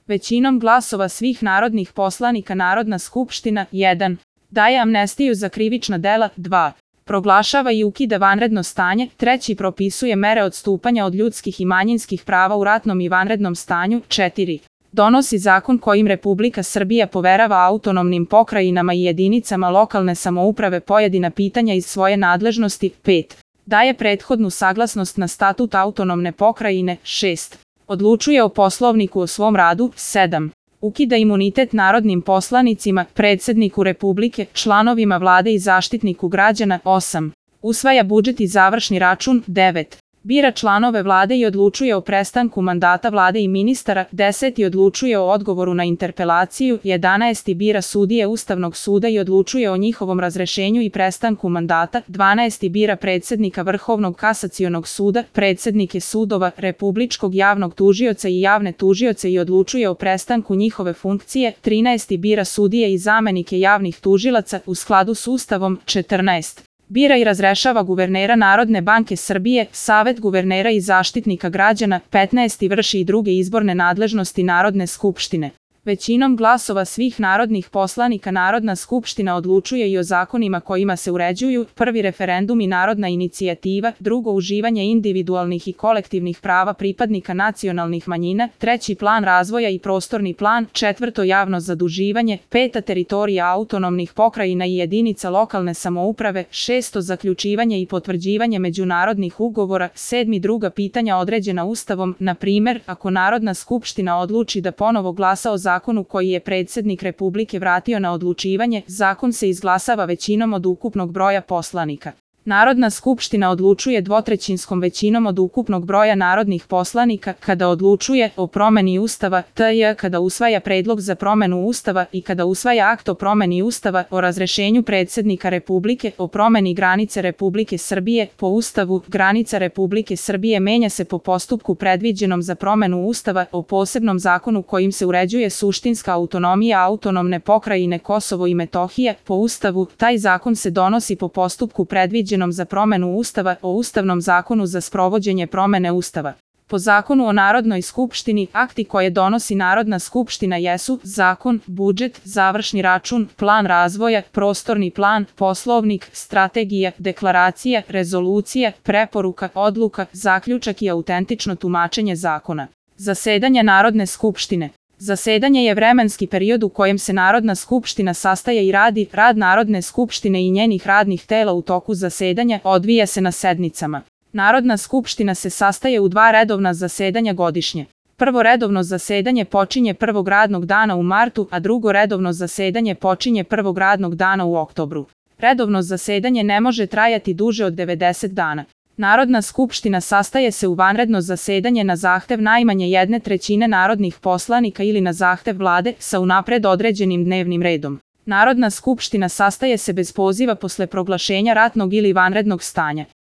Većinom glasova svih narodnih poslanika Narodna skupština 1. Daje amnestiju za krivična dela 2. Proglašava i ukida vanredno stanje 3. Propisuje mere odstupanja od ljudskih i manjinskih prava u ratnom i vanrednom stanju 4. Donosi zakon kojim Republika Srbija poverava autonomnim pokrajinama i jedinicama lokalne samouprave pojedina pitanja iz svoje nadležnosti 5. Daje prethodnu saglasnost na statut autonomne pokrajine 6. Odlučuje o poslovniku o svom radu 7. Ukida imunitet narodnim poslanicima, predsedniku Republike, članovima vlade i zaštitniku građana 8. Usvaja budžet i završni račun 9. Bira članove vlade i odlučuje o prestanku mandata vlade i ministara 10. Odlučuje o odgovoru na interpelaciju 11. Bira sudije Ustavnog suda i odlučuje o njihovom razrešenju i prestanku mandata 12. Bira predsednika Vrhovnog kasacionog suda, predsednike sudova, Republičkog javnog tužioca i javne tužioce i odlučuje o prestanku njihove funkcije 13. Bira sudije i zamenike javnih tužilaca u skladu s Ustavom 14. Bira i razrešava guvernera Narodne banke Srbije, Savet guvernera i zaštitnika građana 15. Vrši i druge izborne nadležnosti Narodne skupštine. Većinom glasova svih narodnih poslanika Narodna skupština odlučuje i o zakonima kojima se uređuju 1. referendum i narodna inicijativa, 2. uživanje individualnih i kolektivnih prava pripadnika nacionalnih manjina, 3. plan razvoja i prostorni plan, 4. javno zaduživanje, 5. teritorija autonomnih pokrajina i jedinica lokalne samouprave, 6. zaključivanje i potvrđivanje međunarodnih ugovora, 7. druga pitanja određena Ustavom, na primer, ako Narodna skupština odluči da ponovo glasa o zakonu koji je predsednik Republike vratio na odlučivanje, zakon se izglasava većinom od ukupnog broja poslanika. Narodna skupština odlučuje dvotrećinskom većinom od ukupnog broja narodnih poslanika kada odlučuje o promeni Ustava, t.j. kada usvaja predlog za promenu Ustava i kada usvaja akt o promeni Ustava, o razrešenju predsednika Republike, o promeni granice Republike Srbije. Po Ustavu, granica Republike Srbije menja se po postupku predviđenom za promenu Ustava, o posebnom zakonu kojim se uređuje suštinska autonomija autonomne pokrajine Kosovo i Metohija. Po Ustavu, taj zakon se donosi po postupku predviđenom za promenu Ustava, o Ustavnom zakonu za sprovođenje promene Ustava. Po Zakonu o Narodnoj skupštini, akti koje donosi Narodna skupština jesu zakon, budžet, završni račun, plan razvoja, prostorni plan, poslovnik, strategija, deklaracija, rezolucija, preporuka, odluka, zaključak i autentično tumačenje zakona. Zasedanja Narodne skupštine. Zasedanje je vremenski period u kojem se Narodna skupština sastaje i radi. Rad Narodne skupštine i njenih radnih tela u toku zasedanja odvija se na sednicama. Narodna skupština se sastaje u 2 redovna zasedanja godišnje. Prvo redovno zasedanje počinje prvog radnog dana u martu, a drugo redovno zasedanje počinje prvog radnog dana u oktobru. Redovno zasedanje ne može trajati duže od 90 dana. Narodna skupština sastaje se u vanredno zasedanje na zahtev najmanje 1/3 narodnih poslanika ili na zahtev vlade sa unapred određenim dnevnim redom. Narodna skupština sastaje se bez poziva posle proglašenja ratnog ili vanrednog stanja.